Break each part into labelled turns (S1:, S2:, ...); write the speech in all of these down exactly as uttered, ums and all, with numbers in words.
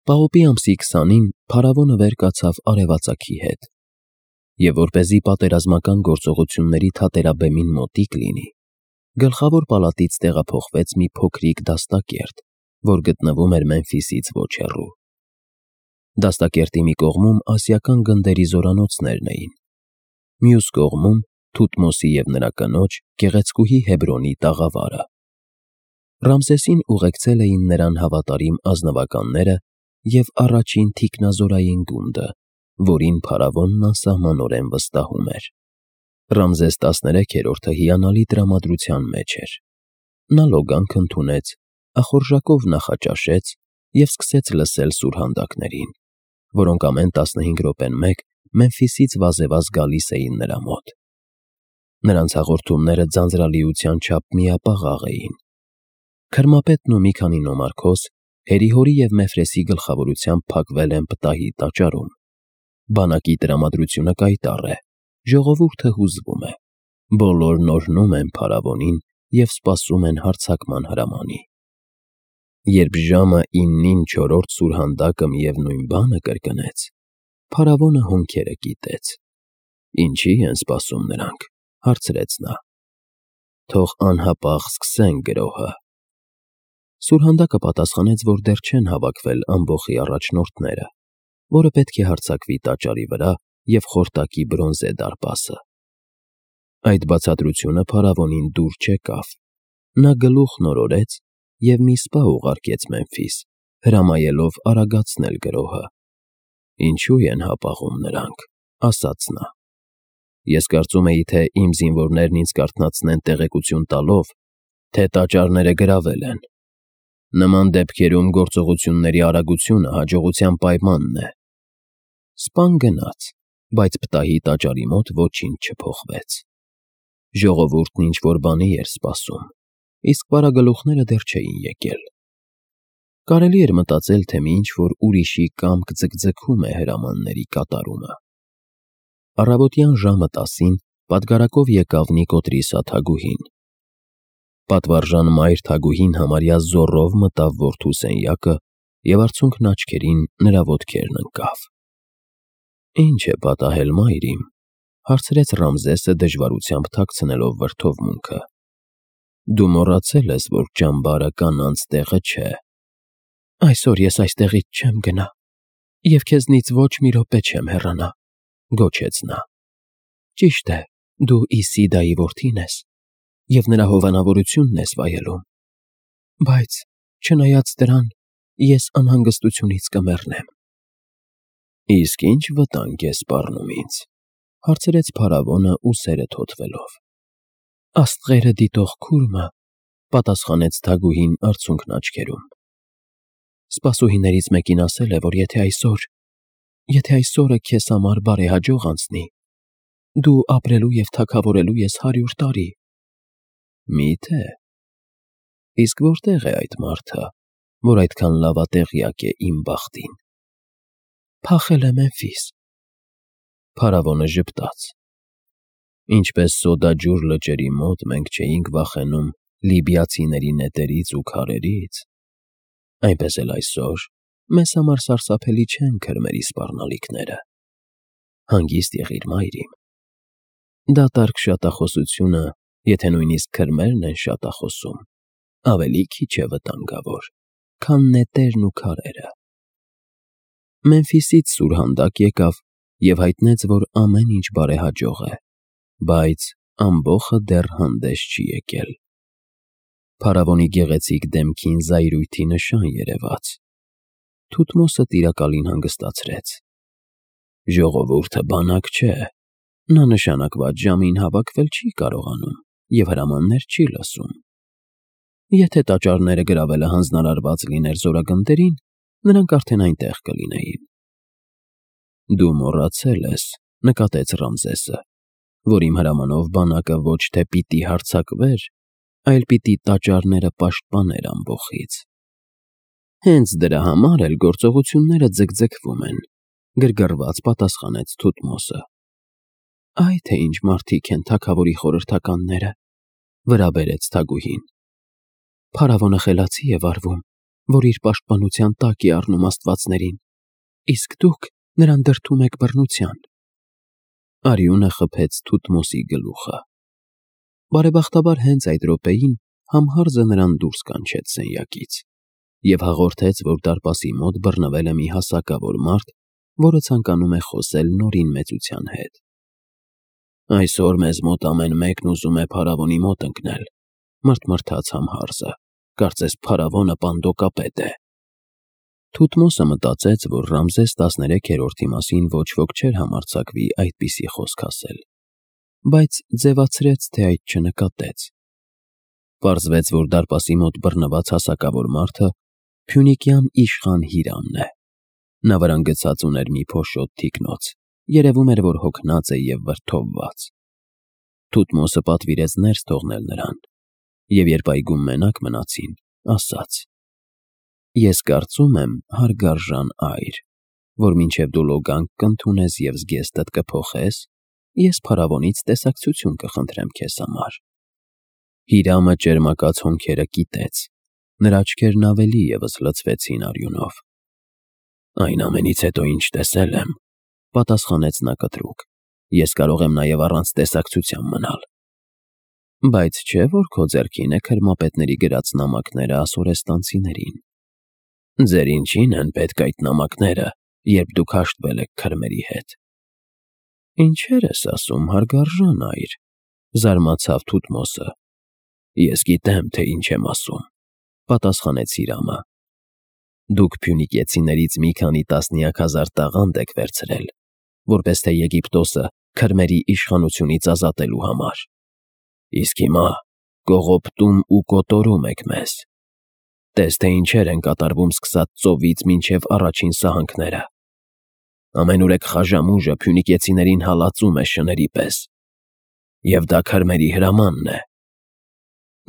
S1: Պահոպի ամսի քսանին փարավոնը վեր կացավ արևածագի հետ, և որպեսզի պատերազմական գործողությունների թատերաբեմին մոտիկ լինի, գլխավոր պալատից տեղափոխվեց մի փոքրիկ դաստակերտ, որ գտնվում էր Մեմֆիսից ոչ հեռու։ Դաստակերտի մի կողմում ասիական գնդերի զորանոցներն էին, մյուս կողմում Թութմոսի և նրա կնոջ՝ գեղեցկուհի Հեբրոնի տաղավարը։ Ռամզեսին ուղեկցել էին նրան հավատարիմ ազնվականները և առաջին թիկնազորային գունդը, որին փարավոնն անսահմանորեն վստահում էր։ Ռամզես տասներեքերորդը հիանալի տրամադրության մեջ էր։ Նա լոգանք ընդունեց, ախորժակով նախաճաշեց և սկսեց լսել սուրհանդակներին, որոնք ամեն տասնհինգ րոպեն մեկ Մեմֆիսից վազեվազ գալիս էին նրա մոտ։ Նրանց հաղորդումները ձանձրալիության չափ միապաղաղ էին։ Քրմապետն ու մի քանի նոմարքոս Հերիհորի և Մեֆրեսի գլխավորությամբ փակվել են պտահի տաճարում։ Բանակի տրամադրությունը կայտառ է, ժողովուրդը հուզվում է, բոլորն օրհնում են փարավոնին և սպասում են հարձակման հրամանի։ Երբ ժամը իննին չորրորդ սուրհանդակը միևնույն բանը կրկնեց, փարավոնը հոնքերը կիտեց։ «Ինչի՞ են սպասում նրանք», հարցրեց նա։ «Թող անհապաղ սկսեն գրոհը»։ Սուրհանդակը պատասխանեց, որ դեռ չեն հավաքվել ամբոխի առաջնորդները, որը պետք է հարձակվի տաճարի վրա և խորտակի բրոնզե դարպասը։ Այդ բացատրությունը փարավոնին դուր չեկավ։ Նա գլուխն օրորեց և մի սպա ուղարկեց Մեմֆիս, հրամայելով արագացնել գրոհը։ «Ինչու են հապաղում նրանք», ասաց նա։ «Ես կարծում էի, թե իմ զինվորներն ինձ կարթնացնեն տեղեկություն տալով, թե տաճարները գրավել են։ Նման դեպքերում գործողությունների արագությունը հաջողության պայմանն է»։ Սպան գնաց, բայց պտահի տաճարի մոտ ոչինչ չփոխվեց։ Ժողովուրդն ինչ-որ բանի էր սպասում, իսկ վարագլուխները դեռ չէին եկել։ Կարելի էր մտածել, թե մի ինչ-որ ուրիշի կամք ձգձգում է հրամանների կատարումը։ Առավոտյան ժամը տասին պատգարակով եկավ Նիկոտրիսա թագուհին։ Պատվարժան մայր թագուհին համարյա զոռով մտավ որդու սենյակը և արցունքն աչքերին նրա ոտքերն ընկավ։ «Ինչ է պատահել, մայր իմ», հարցրեց Ռամզեսը դժվարությամբ թաքցնելով վրդովմունքը։ «Դու մոռացել ես, որ ճամբարը կանանց տեղը չէ»։ «Այսօր ես այստեղից չեմ գնա և քեզնից ոչ մի րոպե չեմ հեռանա», գոչեց նա։ «Ճիշտ է, դու Իսիդայի որդին ես և նրա հովանավորությունն ես վայելում, բայց, չնայած դրան, ես անհանգստությունից կմեռնեմ»։ «Իսկ ի՞նչ վտանգ է սպառնում ինձ», հարցրեց փարավոնը ուսերը թոթվելով։ «Աստղերը դիտող քուրմը», պատասխանեց թագուհին արցունքն աչքերում։ «Սպասուհիներից մեկին ասել է, որ եթե այսօր, եթե այսօրը քեզ համար բարեհաջող անցնի, դու ապրելու և թագավորելու ես հարյուր տարի»։ «Մի՞թե։ Իսկ որտե՞ղ է այդ մարդը, որ այդքան լավատեղյակ է իմ բախտին»։ «Փախել է Մեմֆիս»։ Փարավոնը ժպտաց։ «Ինչպես Սոդաջուր լճերի մոտ մենք չէինք վախենում լիբիացիների նետերից ու քարերից, այնպես էլ այսօր մեզ համար սարսափելի չեն քրմերի սպառնալիքները։ Հանգիստ եղիր, մայր իմ։ Դատարկ շատախոսությունը, եթե նույնիսկ քրմերն են շատախոսում, ավելի քիչ է վտանգավոր, քան նետերն ու քարերը»։ Մեմֆիսից սուրհանդակ եկավ և հայտնեց, որ ամեն ինչ բարեհաջող է, բայց ամբոխը դեռ հանդես չի եկել։ Փարավոնի գեղեցիկ դեմքին զայրույթի նշան երևաց։ Թութմոսը տիրակալին հանգստացրեց։ «Ժողովուրդը բանակ չէ, նա նշանակված ժամին հավաքվել չի կարողանում և հրամաններ չի լսում։ Եթե տաճարները գրավելը հանձնարարված լիներ զորագնդերին, նրանք արդեն այնտեղ կլինեին»։ «Դու մոռացել ես», նկատեց Ռամզեսը, «որ իմ հրամանով բանակը ոչ թե պիտի հարձակվեր, այլ պիտի տաճարները պաշտպաներ ամբոխից»։ «Հենց դրա համար էլ գործողությունները ձգձգվում են», գրգռված պատասխանեց Թութմոսը։ «Այ թե ինչ մարդիկ են թագավորի խորհրդականները», վրա բերեց թագուհին։ «Փարավոնը խելացի է վարվում որ իր պաշտպանության տակ է առնում աստվածներին, իսկ դուք նրան դրդում եք բռնության։ Արյունը խփեց Թութմոսի գլուխը։ Բարեբախտաբար հենց այդ րոպեին Համհարձը նրան դուրս կանչեց սենյակից և հաղորդեց, որ դարպասի մոտ բռնվել է մի հասակավոր մարդ, որը ցանկանում է խոսել Նորին մեծության հետ։ Այսօր մեզ մոտ ամեն մեկն ուզում է փարավոնի մոտ ընկնել, մռթմռթաց Համհարձը, կարծես փարավոնը պանդոկապետ է։ Թութմոսը մտածեց, որ Ռամզես տասներեքերորդի մասին ոչ ոք չէր համարձակվի այդպիսի խոսք ասել, բայց ձևացրեց, թե այդ չնկատեց։ Պարզվեց, որ դարպասի մոտ բռնված հասակավոր մարդը փյունիկյան իշխան Հիրամն է։ Նա վրան գցած ուներ մի փոշոտ թիկնոց, երևում էր, որ հոգնած է և վրդովված։ Թութմոսը պատվիրեց ներս թողնել նրան, և երբ այգում մենակ մնացին, ասաց. «Ես կարծում եմ, հարգարժան այր, որ մինչև դու լոգանք կընդունես և զգեստդ կփոխես, ես փարավոնից տեսակցություն կխնդրեմ քեզ համար»։ Հիրամը ճերմակած հոնքերը կիտեց, նրա աչքերն ավելի ևս լցվեցին արյունով։ «Այն ամենից հետո, ինչ տեսել եմ,֊ պատասխանեց նա կտրուկ,֊ ես կարող եմ նաև առանց տեսակցության մնալ»։ «Բայց չէ՞ որ քո ձեռքին է քրմապետների գրած նամակները ասորեստանցիներին»։ «Ձեր ինչին են պետք այդ նամակները, երբ դուք հաշտվել եք քրմերի հետ»։ «Ինչեր ես ասում, հարգարժան այր,֊ զարմացավ Թութմոսը։ «Ես գիտեմ, թե ինչ եմ ասում,֊ պատասխանեց Հիրամը։ Դուք փյունիկեցիներից մի քանի տասնյակ հազար տաղանդ եք վերցրել, որպես թե Եգիպտոսը քրմերի իշխանությունից ազատելու համար։ Իսկ հիմա կողոպտում ու կոտորում եք մեզ։ Տես, թե ինչեր են կատարվում սկսած ծովից մինչև առաջին սահանքները։ Ամենուրեք խաժամուժը փյունիկեցիներին հալածում է շների պես։ Եվ դա քրմերի հրամանն է։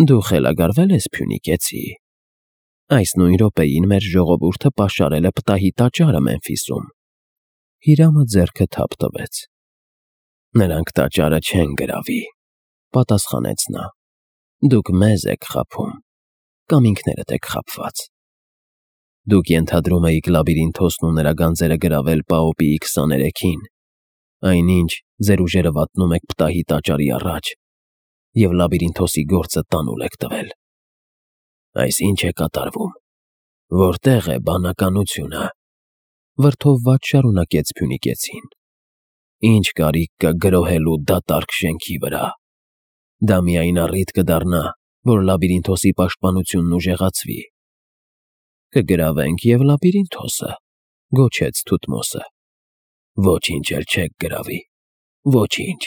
S1: Դու խելագարվե՞լ ես, փյունիկեցի։ Այս նույն րոպեին մեր ժողովուրդը պաշարել է պտահի տաճարը Մեմֆիսում։ Հիրամը ձեռքը թափ տվեց։ «Նրանք տաճարը չեն գրավի,֊ պատասխանեց նա։ Դուք մեզ եք խաբում, կամ ինքներդ եք խաբված։ Դուք ենթադրում էիք Լաբիրինթոսն ու նրա գանձերը գրավել Պաոպիի քսաներեքին, այնինչ ձեր ուժերը վատնում եք պտահի տաճարի առաջ և Լաբիրինթոսի գործը տանուլ եք տվել։ Այս ի՞նչ է կատարվում, որտե՞ղ է բանականությունը,֊ վրդովված շարունակեց փյունիկեցին։ «Ի՞նչ կարիք կա գրոհելու դատարկ շենքի վրա։ Դա միայն առիթ կդառնա, որ Լաբիրինթոսի պաշտպանությունն ուժեղացվի»։ «Կգրավենք և Լաբիրինթոսը,֊ գոչեց Թութմոսը։ «Ոչինչ էլ չեք գրավի, ոչինչ։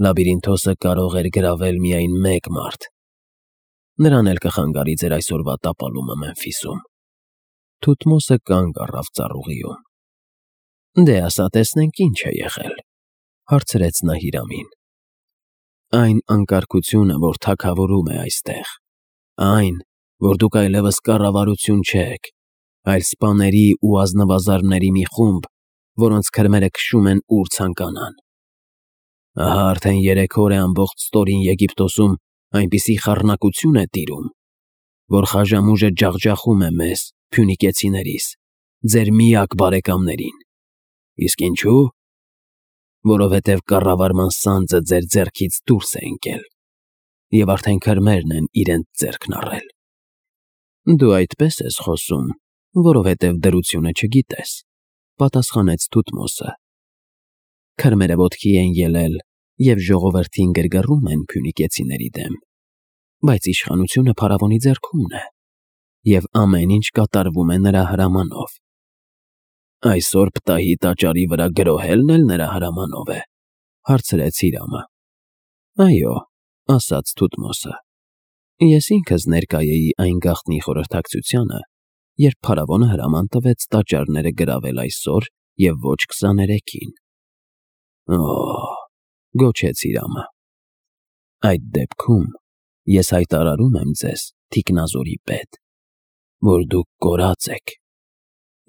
S1: Լաբիրինթոսը կարող էր գրավել միայն մեկ մարդ։ Նրան էլ կխանգարի ձեր այսօրվա տապալումը Մեմֆիսում»։ Թութմոսը կանգ առավ ծառուղիում։ «Դե ասա տեսնենք ինչ է եղել,֊ հարցրեց նա Հիրամին։ «Այն անկարգությունը, որ թագավորում է այստեղ, այն, որ դուք այլևս կառավարություն չեք, այլ սպաների ու ազնվազարդների մի խումբ, որոնց քրմերը քշում են ուր ցանկանան։ Ահա արդեն երեք օր է ամբողջ ստորին Եգիպտոսում այնպիսի խառնակություն է տիրում, որ խաժամուժը ջախջախում է մեզ, փյունիկեցիներիս, ձեր միակ բարեկամներին։ Իսկ ինչու՞։ Որովհետև կառավարման սանձը ձեր ձեռքից դուրս է ընկել, և արդեն քրմերն են իրենց ձեռքն առել»։ «Դու այդպես ես խոսում, որովհետև դրությունը չգիտես,֊ պատասխանեց Թութմոսը։ Քրմերը ոտքի են ելել և ժողովրդին գրգռում են փյունիկեցիների դեմ, բայց իշխանությունը փարավոնի ձեռքումն է, և ամեն ինչ կատարվում է նրա հրամանով»։ «Այսօր պտահի տաճարի վրա գրոհելն էլ նրա հրամանով է,֊ հարցրեց Հիրամը։ «Այո,֊ ասաց Թութմոսը։ Ես ինքս ներկա էի այն գաղտնի խորհրդակցությանը, երբ փարավոնը հրաման տվեց տաճարները գրավել այսօր և ոչ քսաներեքին»։ «Օ՜…֊ գոչեց Հիրամը։ Այդ դեպքում ես հայտարարում եմ ձեզ, թիկնազորի պետ, որ դուք կորած եք։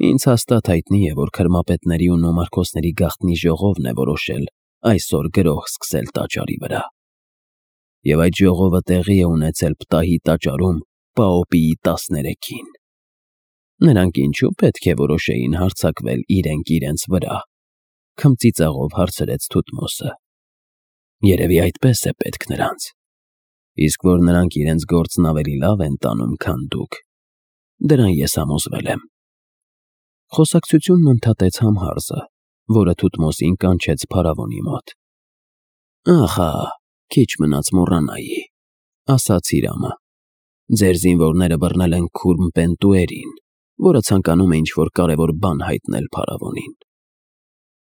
S1: Ինձ հաստատ հայտնի է, որ քրմապետների ու նոմարքոսների գաղտնի ժողովն է որոշել այսօր գրոհ սկսել տաճարի վրա։ Եվ այդ ժողովը տեղի է ունեցել պտահի տաճարում Պաոպիի տասներեքին։ Նրանք ինչու պետք է որոշեին հարձակվել իրենք իրենց վրա, քմծիծաղով հարցրեց Թութմոսը։ Երևի այդպես է պետք նրանց։ Իսկ որ նրանք իրենց գործն ավելի լավ են տանում, քան դուք, դրան ես համոզվել եմ։ Խոսակցությունն ընդհատեց Համհարզը, որը Թութմոսին կանչեց փարավոնի մոտ։ Ախա, քիչ մնաց մոռանայի, ասաց Հիրամը։ Ձեր զինվորները բռնել են քուրմ Պենտուերին, որը ցանկանում է ինչ-որ կարևոր բան հայտնել փարավոնին։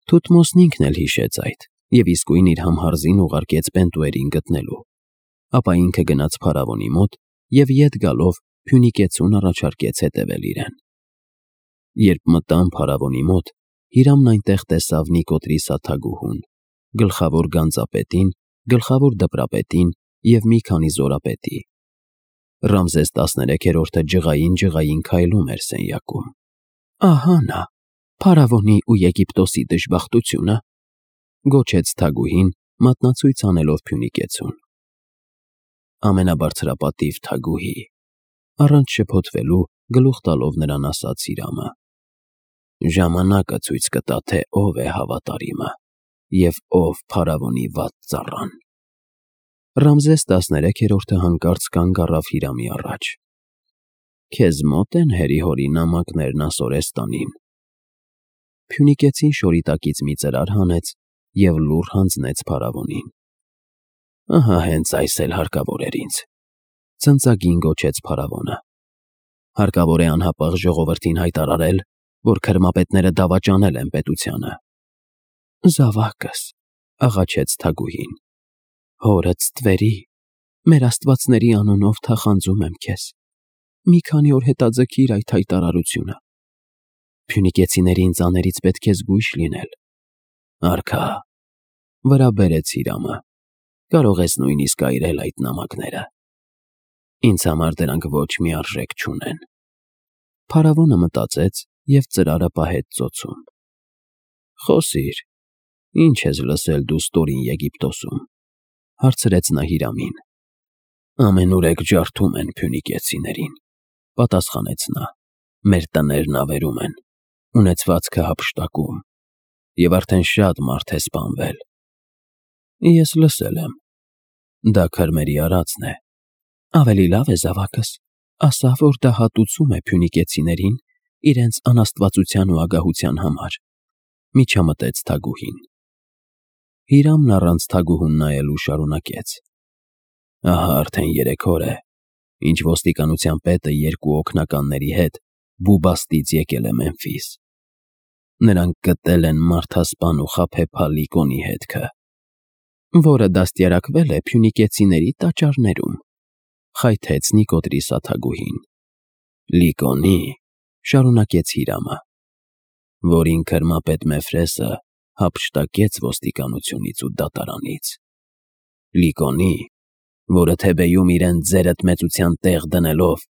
S1: Թութմոսն ինքն էլ հիշեց այդ և իսկույն իր Համհարզին ուղարկեց Պենտուերին գտնելու։ Ապա ինքը գնաց փարավոնի մոտ և ետ գալով փյունիկեցուն առաջարկեց հետևել իրեն։ Երբ մտան փարավոնի մոտ, Հիրամն այնտեղ տեսավ Նիկոտրիս աթագուհուն, գլխավոր գանձապետին, գլխավոր դպրապետին և մի քանի զորապետի։ Ռամզես տասներեքերորդը ջղային-ջղային քայլում էր սենյակում։ Ահա նա, փարավոնի ու Եգիպտոսի դժբախտությունը, գոչեց թագուհին, մատնացույց անելով փյունիկեցուն։ Ամենաբարձրապատիվ թագուհի, առանց շփոթվելու գլուխ տալով նրան ասաց Հիրամը։ Ժամանակը ցույց կտա, թե ով է հավատարիմը և ով փարավոնի վատ ծառան։ Ռամզես տասներեքերորդը հանկարծ կանգ առավ Հիրամի առաջ։ Քեզ մոտ են հերի-հորի նամակներն Ասորեստանին։ Փյունիկեցին շորի տակից մի ծրար հանեց և լուռ հանձնեց փարավոնին։ Ահա հենց այս էլ հարկավոր էր ինձ, ցնծագին գոչեց փարավոնը։ Հարկավոր է անհապաղ ժողովրդին հայտարարել, որ քրմապետները դավաճանել են պետությանը։ Զավակս, աղաչեց թագուհին, հորդ ստվերի, մեր աստվածների անունով թախանձում եմ քեզ։ Մի քանի օր հետաձգիր այդ հայտարարությունը։ Փյունիկեցիների ինձաներից պետք է զգույշ լինել։ Արքա, վրա բերեց Հիրամը, կարող ես նույնիսկ այրել այդ նամակները։ Ինձ համար դրանք ոչ մի արժեք չունեն։ Փարավոնը մտածեց և ծրարը պահեց ծոցում։ Խոսիր, ինչ ես լսել դու ստորին Եգիպտոսում, հարցրեց նա Հիրամին։ Ամենուրեք ջարդում են փյունիկեցիներին, պատասխանեց նա, մեր տներն ավերում են, ունեցվածքը հափշտակում, և արդեն շատ մարդ է սպանվել։ Ես լսել եմ, դա քրմերի արածն է։ Ավելի լավ է, զավակս, ասա, որ դա հատուցում է փյունիկեցիներին իրենց անաստվածության ու ագահության համար, միջամտեց թագուհին։ Հիրամն առանց թագուհուն նայելու շարունակեց. Ահա արդեն երեք օր է, ինչ ոստիկանության պետը երկու օգնականների հետ Բուբաստից եկել է Մեմֆիս։ Նրանք գտել են մարդասպան ու խաբեբա Լիկոնի հետքը, որը դաստիարակվել է փյունիկեցիների տաճարներում, խայթեց Նիկոտրիս աթագուհին։ Լիկոնի, շարունակեց Հիրամը, որին քրմապետ Մեֆրեսը հափշտակեց ոստիկանությունից ու դատարանից։ Լիկոնի, որը Թեբեյում իրեն ձերըտմեցության տեղ դնելով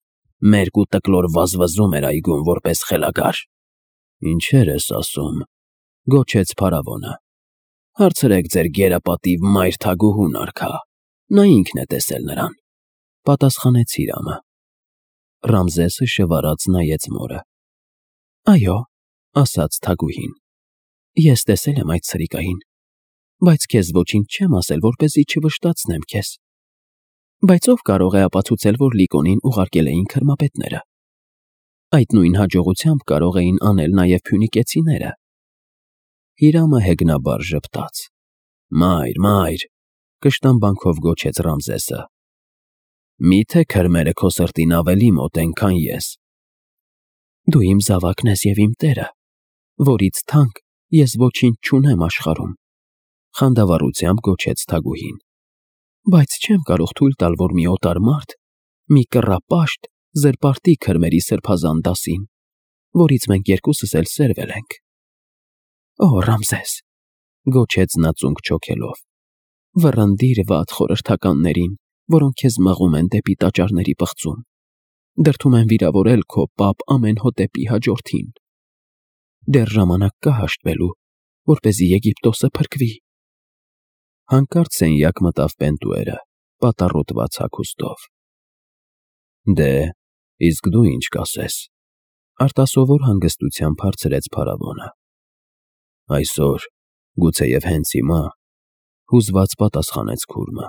S1: մերկ ու տկլոր վազվզում էր այգում որպես խելագար։ Ինչեր ես ասում, գոչեց փարավոնը։ Հարցրեք ձեր գերապատիվ մայր թագուհուն, արքա, նա ինքն է տեսել նրան, պատասխանեց Հիրամը։ Ռամզեսը շվարած նայեց մորը։ Այո, ասաց թագուհին, ես տեսել եմ այդ սրիկային, բայց քեզ ոչինչ չեմ ասել, որպեսզի չվշտացնեմ քեզ։ Բայց ով կարող է ապացուցել, որ Լիկոնին ուղարկել էին քրմապետները։ Այդ նույն հաջողությամբ կարող էին անել նաև փյունիկեցիները։ Հիրամը հեգնաբար ժպտաց։ Մայր, մայր, կշտամբանքով գոչեց Ռամզեսը։ Մի՞թե քրմերը քո սրտին ավելի մոտ են, քան ես։ Դու իմ զավակն ես և իմ տերը, որից թանկ ես ոչինչ չունեմ աշխարհում, խանդավառությամբ գոչեց թագուհին։ Բայց չեմ կարող թույլ տալ, որ մի օտար մարդ, մի կռապաշտ զրպարտի քրմերի սրբազան դասին, որից մենք երկուսս էլ սերվել ենք։ Օ, Ռամզես, գոչեց նա ծունկ չոքելով, վռնդիր վատ խորհրդականներին, որոնք քեզ մղում են դեպի տաճարների պղծում, դրդում են վիրավորել քո պապ Ամենհոտեպի հաջորդին։ Դեռ ժամանակ կա հաշտվելու, որպեսզի Եգիպտոսը փրկվի։ Հանկարծ սենյակ մտավ Պենտուերը, պատառոտված հագուստով։ Դե, իսկ դու ինչ կասես, Արտասովոր հանգստությամբ հարցրեց փարավոնը։ Այսօր, գուցեև հենց հիմա, հուզված պատասխանեց քուրմը,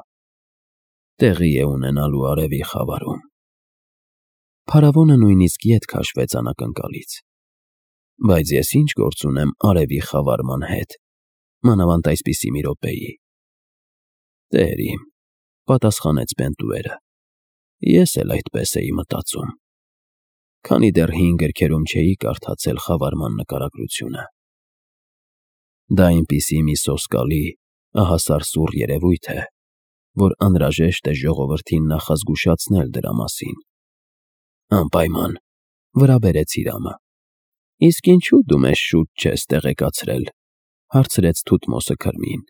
S1: տեղի է ունենալու արևի խավարում։ Փարավոնը նույնիսկ ետ քաշվեց անակնկալից։ Բայց ես ինչ գործ ունեմ արևի խավարման հետ, մանավանդ այսպիսի մի րոպեի։ Տեր իմ, պատասխանեց Պենտուերը, ես էլ այդպես էի մտածում, քանի դեռ հին գրքերում չէի կարդացել խավարման նկարագրությունը։ Դա այնպիսի մի սոսկալի, ահասարսուռ երևույթ է, որ անհրաժեշտ է ժողովրդին նախազգուշացնել դրա մասին։ Անպայման, վրա բերեց Իրամը։ Իսկ ինչու դու մեզ շուտ չես տեղեկացրել, հարցրեց Թութմոսը քրմին։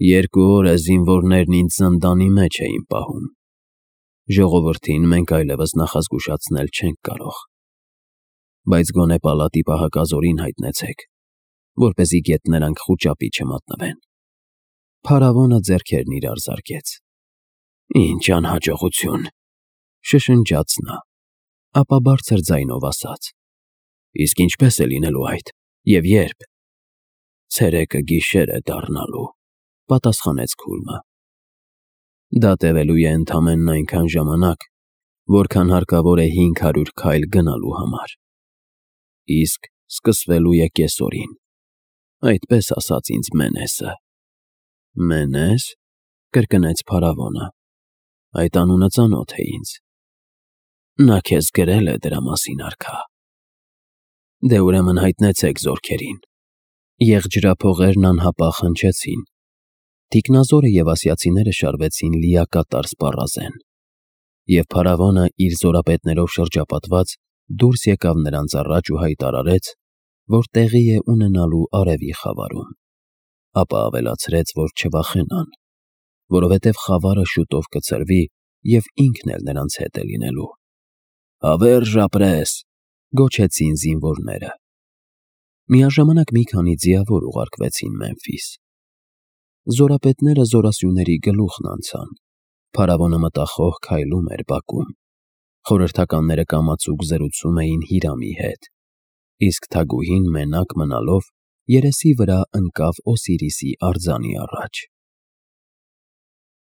S1: Երկու օր է զինվորներն ինձ զնդանի մեջ էին պահում։ Ժողովրդին մենք այլևս նախազգուշացնել չենք կարող։ Բայց գոնե պալատի պահակազորին հայտնեցեք, որպեսզի գետներանք խուճապի չմատնվեն։ Փարավոնը ձեռքերն իրար զարկեց։ Ինչ անհաջողություն, շշնջաց նա, ապա բարձր ձայնով ասաց. Իսկ ինչպես է լինելու այդ, և երբ։ Ցերեկը գիշեր է դառնալու, պատասխանեց քուրմը։ Դա տևելու է ընդամենն այնքան ժամանակ, որքան հարկավոր է հինգ հարյուր քայլ գնալու համար։ Իսկ սկսվելու է կեսօրին, այդպես ասաց ինձ Մենեսը։ Մենես, կրկնեց փարավոնը, այդ անունը ծանոթ է ինձ։ Նա քեզ գրել է դրա մասին, արքա։ Դե ուրեմն հայտնեցեք զորքերին։ Եղջրափողերն անհապաղ հնչեցին։ Թիկնազորը և ասիացիները շարվեցին լիակատար սպառազեն, և փարավոնը իր զորապետներով շրջապատված դուրս եկավ նրանց առաջ ու հայտարարեց, որ տեղի է ունենալու արևի խավարում, ապա ավելացրեց, որ չվախենան, որովհետև խավարը շուտով կցրվի և ինքն էլ նրանց հետ է լինելու։ Հավերժ ապրես, գոչեցին զինվորները։ Միաժամանակ մի քանի ձիավոր ուղարկվեցին Մեմֆիս։ Զորապետները զորասյուների գլուխն անցան։ Փարավոնը մտախոհ քայլում էր բակում։ Խորհրդականները կամացուկ զրուցում էին Հիրամի հետ, իսկ թագուհին մենակ մնալով երեսի վրա ընկավ Օսիրիսի արձանի առաջ։